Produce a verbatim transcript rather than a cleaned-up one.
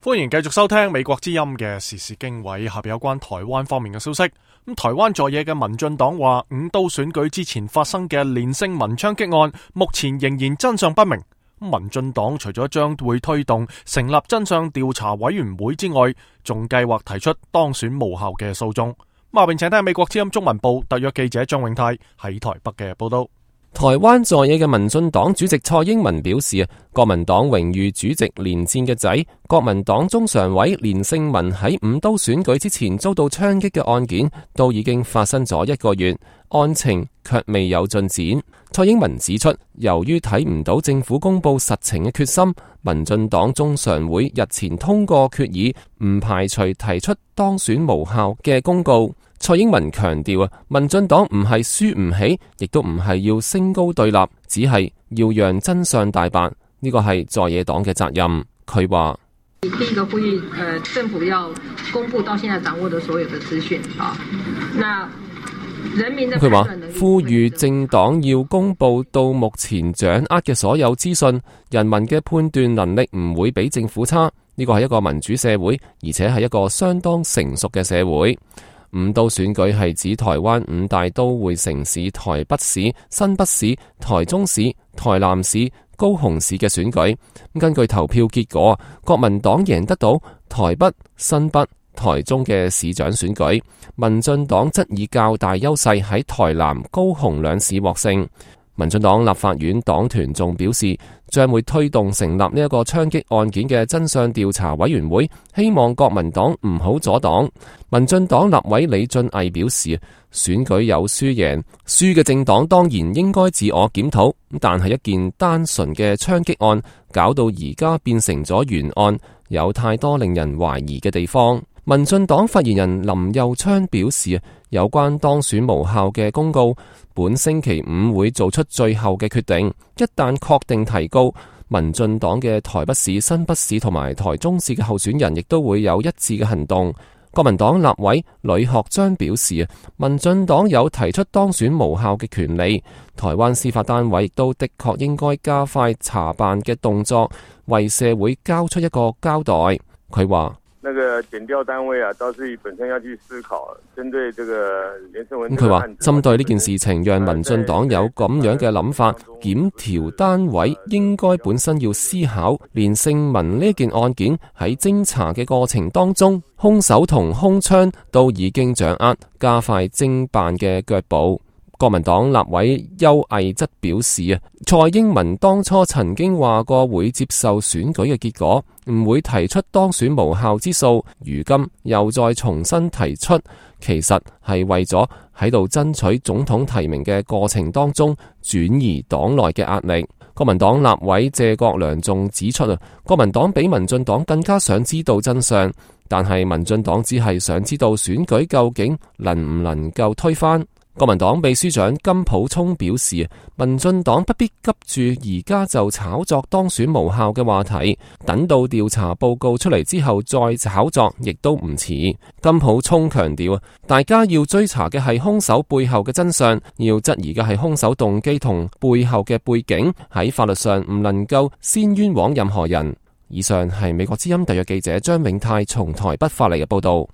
歡迎繼續收聽美國之音嘅時事經緯，下邊有關台灣方面嘅消息。咁台灣在野嘅民進黨話，五都選舉之前發生嘅連勝文槍擊案，目前仍然真相不明。民進黨除咗將會推動成立真相調查委員會之外，仲計劃提出當選無效嘅訴訟。下邊請聽美國之音中文部特約記者張永泰喺台北嘅報道。台灣在野嘅民進黨主席蔡英文表示，國民黨榮譽主席連戰嘅仔，國民黨中常委連勝文喺五都選舉之前遭到槍擊嘅案件，都已經發生咗一個月，案情卻未有進展。蔡英文指出，由於睇唔到政府公布實情嘅決心，民進黨中常會日前通過決議，唔排除提出當選無效嘅公告。蔡英文強調啊，民進黨唔係輸唔起，亦都唔係要升高對立，只係要讓真相大白，呢個係在野黨嘅責任。佢話：第一個呼籲，呃，政府要公布到現在掌握的所有的資訊啊。那人民的佢話呼籲政黨要公布到目前掌握嘅所有資訊，人民嘅判斷能力唔會比政府差。呢個係一個民主社會，而且係一個相當成熟嘅社會。五都選舉係指台灣五大都會城市台北市、新北市、台中市、台南市、高雄市嘅選舉。根據投票結果，國民黨贏得到台北、新北、台中嘅市長選舉，民進黨則以較大優勢喺台南、高雄兩市獲勝。民進黨立法院黨團仲表示，將會推動成立呢一個槍擊案件嘅真相調查委員會，希望國民黨唔好阻擋。民進黨立委李俊毅表示，選舉有輸贏，輸嘅政黨當然應該自我檢討，但係一件單純嘅槍擊案，搞到而家變成咗懸案，有太多令人懷疑嘅地方。民進黨發言人林右昌表示，有關當選無效嘅公告，本星期五會做出最後嘅決定。一旦確定提告，民進黨嘅台北市、新北市同埋台中市嘅候選人亦都會有一致嘅行動。國民黨立委呂學章表示，民進黨有提出當選無效嘅權利，台灣司法單位亦都的確應該加快查辦嘅動作，為社會交出一個交代。佢話：那個檢調單位啊，倒是本身要去思考，針對這個連勝文。佢話針對呢件事情，讓民進黨有咁樣嘅諗法，檢調單位應該本身要思考連勝文呢件案件喺偵查嘅過程當中，兇手同兇槍都已經掌握，加快偵辦嘅腳步。國民黨立委邱毅則表示啊，蔡英文當初曾經話過會接受選舉嘅結果，唔會提出當選無效之訴，如今又再重新提出，其實係為咗喺度爭取總統提名嘅過程當中轉移黨內嘅壓力。國民黨立委謝國良仲指出啊，國民黨比民進黨更加想知道真相，但係民進黨只係想知道選舉究竟能唔能夠推翻。國民黨秘書長金溥聰表示，民進黨不必急住而家就炒作當選無效嘅話題，等到調查報告出嚟之後再炒作亦都唔遲。金溥聰強調，大家要追查嘅係兇手背後嘅真相，要質疑嘅係兇手動機同背後嘅背景，喺法律上唔能夠先冤枉任何人。以上係美國之音特約記者張永泰從台北發嚟嘅報道。